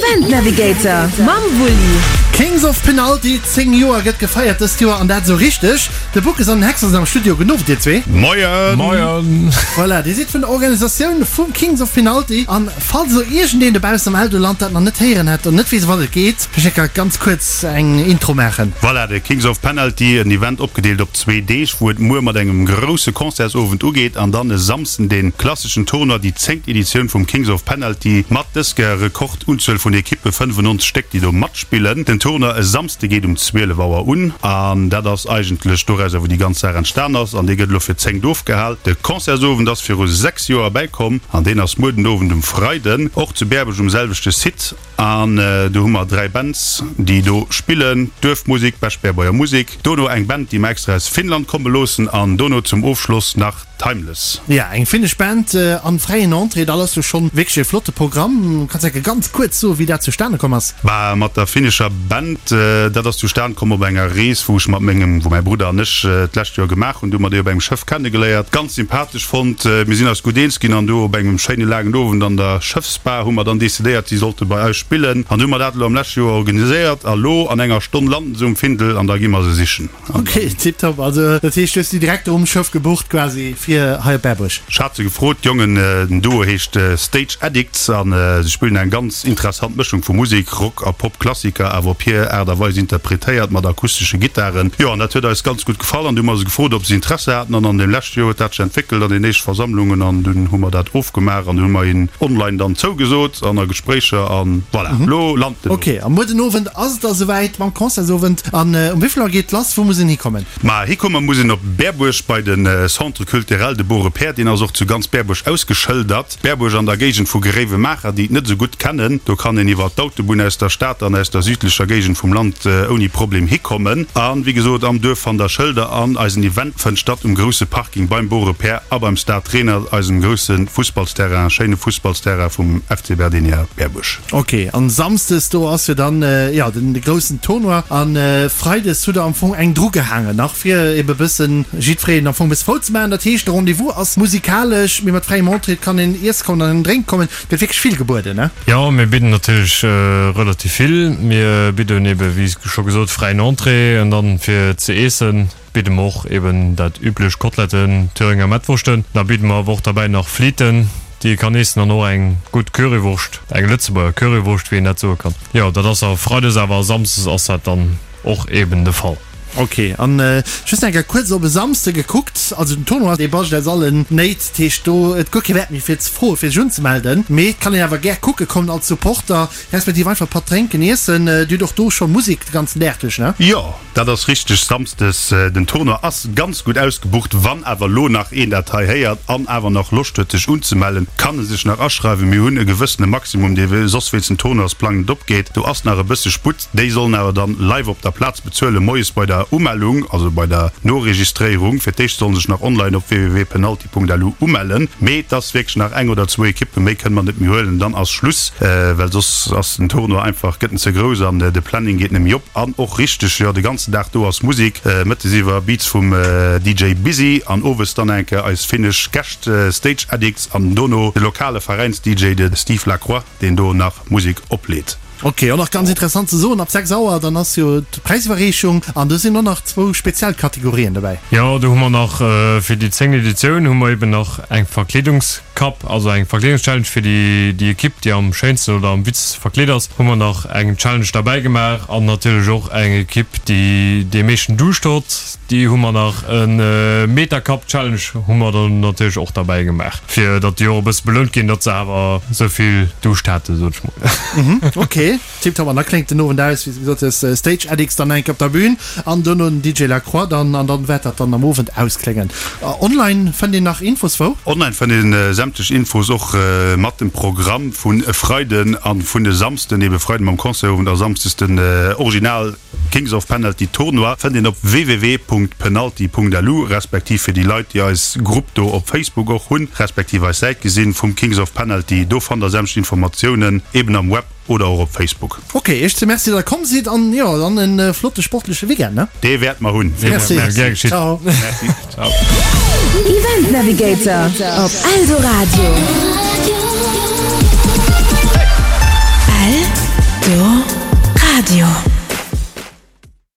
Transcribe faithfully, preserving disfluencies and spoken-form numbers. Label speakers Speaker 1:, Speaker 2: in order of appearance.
Speaker 1: Event Navigator mam Wulli.
Speaker 2: Kings of Penalty, zéng Joer gëtt gefeiert dëst Joer an dat esou richteg. De Bookes an den Hexer sinn am Studio. Gudden Owend dir zwee.
Speaker 3: Moien!
Speaker 4: Moien!
Speaker 2: Voilà, dir sidd vun der Organisatioun vum Kings of Penalty an falls elo iergendeen dobaussen am Eldoland dat nach net héieren hätt an net weess ëm wat et geet, vläicht eng Kéier ganz kuerz eng Intro maachen.
Speaker 3: Voilà, de Kings of Penalty, en Event opgedeelt op zwee Deeg, wou et muer mat engem grousse Concertsowend ugeet an dann e Samsden de klasseschen Tournoi, déi zéngt Editioun vum Kings of Penalty mat dësker Rekordunzuel vun Ekippe, fënnefennonzeg Stéck, déi do matspillen. Den Tournoi e Samsde geet um zwielef Auer un an dat ass eigentlech dorauser, wou déi ganz Saach entstan ass an dee gëtt elo fir d'zéngt ofgehal. De Concertsowend ass viru sechs Joer bäikomm an deen ass muer den Owend um Freiden och zu Bäerbuerg um selwechte Site an do hu mer dräi Bands, déi do spillen, Duerfmusik, Bech-Berbuerger Musik, dono eng Band, déi mer extra aus Finnland komme loossen an dono zum Ofschloss nach Timeless.
Speaker 2: Ja, eng finnesch Band an fräien Entrée, dat ass jo schonn wierklech e flotte Programm. Kanns enke ganz kuerz soen, wéi dat zustane komm ass?
Speaker 3: Bah, mat der finnescher Band, dat ass zustan komm op enger Rees, wou ech mat mengem, wou mäi Brudder an ech d'lescht Joer gemaach hunn. Du hu mer déi op engem Schëff kennegeléiert, ganz sympathesch fonnt. Mir sinn eis gutt eens ginn an du op engem schéine laangen Owend an der Schëffsbar hu mer dann decidéiert, si sollte bei eis spillen. An du hu mer dat elo am leschte Joer organiséiert a lo an enger Stonn landen se um Findel an da gi mer se sichen.
Speaker 2: Ok, tiptop. Also dat heescht, du hues déi direkt um Schëff gebucht quasi fir hei op Berbuerg?
Speaker 3: Ech hat se gefrot, d'Jongen. Den Duo heescht Stage Addicts a se spillen eng ganz interessant Mëschung vu Musek, Rock a Pop-Klassiker, awer op hir Aart a Weis interpretéiert, mat akustesche Gittaren. Jo, an dat huet eis ganz gutt gefall an du hu mer se gefrot, ob se Interesse haten an an deem leschte Joer huet dat sech entwéckelt an den éischte Versammlungen an dunn hu mer dat ofgemaach an du hu mer hinnen online dann zougesot an a Gespréicher an voilà, lo lant den.
Speaker 2: Ok, a muer den Owend ass et da souwäit mam Concertsowend. An um wéivill Auer geet lass? Wou muss een hikommen?
Speaker 3: Ma hikomme muss een op Berbuerg bei de Centre Culturel de Beaurepaire. Deen ass och zu ganz Berbuerg ausgeschëldert. Berbuerg an der Géigend vu Gréiwemaacher, déi et net esou gutt kennen, do kann een iwwer d'Autobunn aus der Stad an aus der südlecher Géigend vum Land ouni Problem hikommen. A wéi gesot, am Duerf fannt der Schëlder an eisen Event fënnt statt um grousse Parking beim Beaurepaire a beim Stade Renert, eisem grousse Fussballsterrain, schéine Fussballsterrain vum F C Berdenia Berbuerg.
Speaker 2: Ok, an Samsdes do ass jo dann jo den groussen Tournoi an Freides hutt der am Fong eng dru gehaangen nach fir ebe bëssen jiddfereen am Fong bësse frou ze maachen. Dat heescht de Rendez-vous ass musikalesch, mee mat fräiem Entrée, et kann een iesse kommen an een drénke kommen, et gëtt wierklech vill gebueden, ne?
Speaker 4: Jo, mir bidden natierlech relativ vill. Mir bidden ebe wéi scho gesot fräien Entrée an dann fir ze iessen bidde mer och eben dat üblech, Koteletten, Thüringer Mettwurschten. Da bidde mer awer och derbäi nach Fliten, déi ee kann eessen an och eng gutt Currywurscht, eng Lëtzebuerger Currywurscht, wéi een dat soe kann. Jo, dat ass a Freides, awer a Samsdes ass dat dann och eben de Fall.
Speaker 2: Ok, an just eng Kéier kuerz op e Samsde gekuckt, also den Tournoi dee bascht aus allen Néit, dat heescht do et guer kee Wäert méi fir ze froe fir sech unzemelden, mee et kann een awer gär kucke kommen als Supporter, respektiv einfach e Patt drénken, iessen. Dir hutt och do scho Musek de ganzen Dag duerch, ne?
Speaker 3: Jo, dat ass richteg, Samsdes. Den Tournoi ass ganz gutt ausgebucht. Wann awer elo nach een dat hei héiert an awer nach Loscht huet sech unzemellen, kann e sech nach aschreiwen. Mir hunn e gewëssene Maximum, dee soss wéinst dem Tournoisplang net opgeet. Do ass nach e bësse Sputt. Déi sollen awer dann live op der Plaz bezuelen, moies bei der Umellung, also bei der Noregistréierung. Fir d'éischt sollen sech nach online op w w w punkt penalty punkt l u umellen. Mee et ass wierklech nach eng oder zwou Ekippen, méi kënne mer net méi huelen, dann ass Schluss, well soss ass den Tournoi einfach, gëtt en ze grouss an de Planning geet net méi op. An och richteg, jo, de ganzen Dag do ass Musek, mëttes iwwer Beats vum D J Busy an owes dann eng Kéier eis finnesch Gäscht Stage Addicts an dono de lokale Veräins-D J, de Steve Lacroix, deen do nach Musek opleet.
Speaker 2: Ok, och nach ganz interessant ze soen, ab sechs Auer dann ass jo d'Präisiwwerreechung an do sinn och nach zwou speziell Kategorien dobäi.
Speaker 4: Jo, do hu mer nach fir déi zéngt Editioun hu mer eben nach eng Verkleedungscup, also eng Verkleedungschallenge fir déi déi Ekipp, déi am schéinsten oder am witzegste verkleet ass, hu mer nach eng Challenge derbäi gemaach an natierlech och eng Ekipp, déi dee meeschten Duuscht huet, déi hu mer nach e Meter Cup Challenge hu mer dann natierlech och derbäi gemaach, fir datt déi och e bësse belount ginn, datt se awer esou vill Duuscht haten, sot ech mol.
Speaker 2: Ok, tiptop. An da kléngt den Owend aus, wéi s de gesot hues, Stage Addicts dann enk op der Bühn an duerno den D J Lacroix dann an dann wäert dat dann am Owend auskléngen. Online fënnt een nach Infos wou?
Speaker 3: Online fënnt een sämtlech Infos och mat dem Programm vun e Freiden an vun e Samsden, ebe Freiden mam Concertowend a Samsdes den Original Kings of Penalty Tournoi, fënnt een op w w w punkt penalty punkt l u respektiv fir déi Leit, déi eis Grupp do op Facebook och hunn, respektiv eis Säit gesinn vum Kings of Penalty, do fannt der sämtlech Informatiounen eben am Web oder och op Facebook.
Speaker 2: Ok, iech zwee Merci, datt der komm sidd an jo, dann en flotte sportleche Weekend, ne?
Speaker 3: Dee wäerte mer hunn.
Speaker 2: Merci.
Speaker 4: Gär geschitt.
Speaker 2: Ciao.
Speaker 3: Merci.
Speaker 4: Ciao.
Speaker 1: Event Navigator op Eldoradio. L Radio.